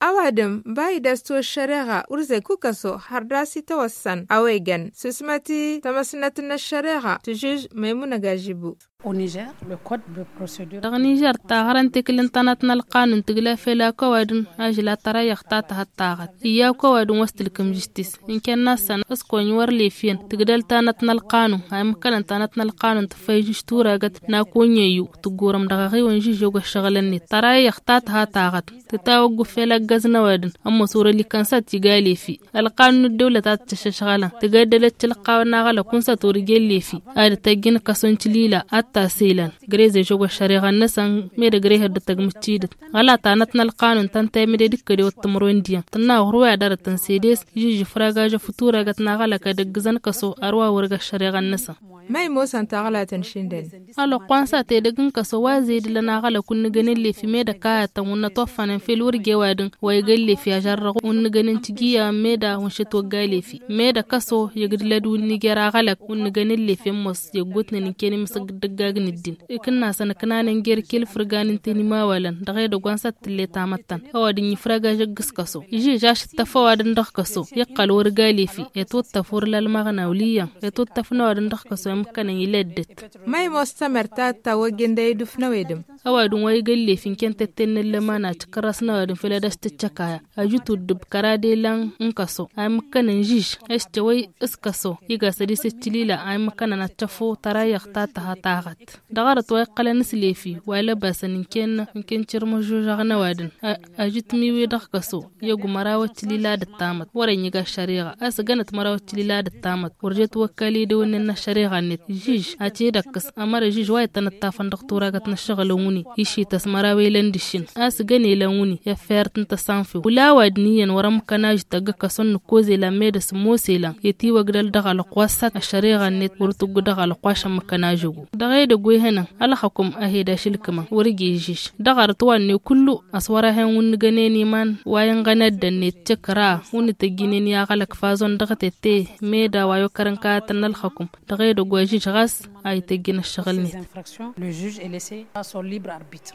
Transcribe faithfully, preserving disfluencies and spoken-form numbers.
Ăwadǝm ba idăstu ăššăreɣa wăr zăy kukăso hărdas itawăssan a-wa igan sǝsmăt i-tamăsnăt n-ăššăreɣa tǝžǝž. Măymuna gažibu. Dăɣ-nižer taɣărăn tikǝl n-tanăt n-ălqanun tǝgla fel akăwadǝm ažla tăra iyyăɣ ta tăhăt taɣăt iyyăɣ akăwadǝm wa s-tǝlkǝm žǝštis. N-kănna s-săn s-kăwăny wăr lefyăn tǝgdăl tanăt n-ălqanun a imǝkkănăn tanăt n-ălqanun tǝffăy žǝš turagăt n-akăwănyăyyu tǝggurăm dăɣ-aɣiwăn žǝžžog ăššăɣǝl-net tăra iyyăɣ ta tăha taɣăt. Tǝtawăggu fel ăggăz n-ăwadǝm ămoos wăr-ălikăn s-ad-t-iga lefi. Ălqanun n-ăddăwlăt ad-t-ăššăšɣălăn tǝgăddălăt tilqawăn n-aɣălăk wăn s-ad-t-wăr ijen lefi ad-ătajjǝn ǝkkăson tilila ad-t-asǝylan. Grez ežăgg ăššăreɣa-năsăn. Med ăgrehăd d-tăgg mǝccidăt ɣăla tanăt n-ălqanun tăn-tayǝmǝde d-ikkădewăt timǝrwen d-iyyăn tǝnna wăr-wi ad-dăr-tăn sedes. Žǝžžǝf ragajăf turagăt n-aɣălăk ad-ăggǝzăn kăso ărwa wăr-ga ăššăreɣa-năsăn. Ma imoosăn taɣlatăn šindăn. Ălwăqq wa n-sat edăgg n-kăso wa zedǝlăn aɣălăk wǝnnǝgăn n-lefi med ăkayătăn wǝnnăt wa ăffănăn fel wăr j-ewadǝn wa igăn lefi ažărrăɣ wǝnnǝgăn n-tijǝyya med a wǝnšăt wăgga lefi. Med ăkăso igdǝlăd wǝnnǝg i-ar aɣălăk wǝnnǝgăn n-lefi ămoos iggutnen ǝnken imǝsǝg d-ǝggag n-ǝddin. Ikǝnnasăn ǝknanen jer-kil fǝrgan ǝnta inimawalăn dăɣ-edăgg wa n-sat tǝlle tamăttan ăwadǝm ifrăg ažăgg s-kăso. Ižǝž ašǝttăf ăwadǝm dăɣ-kăso iqqăl wăr ga lefi. Etwǝttăf wăr la ălmăɣnaw l-iyyăn etwǝttăf n-ăwadǝm dăɣ-kăso imǝkkănăn ila ăddăt. Ma imoos tămărt ta tătawăjjăn d-ayǝdǝf n-ăwedǝm. Ăwadǝm wa igăn lefi n-kăyăn tetten n-ăllăman a tǝkkărras n-ăwadǝm făll-ad-as tǝccăkaya ajǝt uddǝb kăra d-elan n-kăso a imǝkkănăn žǝž. Ešcăwăy s-kăso iga sădis ǝccǝlila a imǝkkănăn ad-tăfo tăra iyyăɣ ta tăha taɣăt. Dăɣ-arăt wa iqqălăn s-lefi wa lăbasăn ǝnken ǝnken cirmăžžožăɣ n-ăwadǝm. Ajǝt miwi dăɣ-kăso i-ăgg măraw ăccǝlila d-ăttamăt wăr-ănniga ăššăreɣa a-s ǝggănăt măraw ăccǝlila d-ăttamăt wăr jet wăkka lidewănnen n-ăššăreɣa-net žǝž. Ad-t-dd-ăkkǝs ămăra žǝž wa ittăn ǝṭṭafăn dăɣ-turagăt n-ăššăɣǝlăn wǝnni išităs măraw elăn d-ǝššǝn a-s ǝggăn elăn wǝnni i-ăffayărt n-tăsanfew wăla ăwadǝm iyyăn wăr-ămmǝkkăn ažǝt ăgg-ăkkăsăn nǝkkoz elan med ăsǝmmos elan. Itiwăgdăl dăɣ-ălqwa s-sat ăššăreɣa-net wăr tǝggu dăɣ-ălqwa ašămmǝkkăn ažăgu. Dăɣ-edăgg wa ihănăn ălxăkum a he-dd-ašǝlkǝmăn wăr-ija ižǝž. Dăɣ-arăt wa ǝnne kullu ăswăr-ahen wǝnnǝgănen iman wa inɣăn ăddănnet căkra wǝnnǝtăjjǝnen i-aɣălăk fazon dăɣ-tette. Meda wa i-okărăn kayătăn n-ălxăkum dăɣ-edăgg wa žǝž ɣas a ităjjǝn ăššăɣǝl-net. Le juge est laissé à son libre arbitre.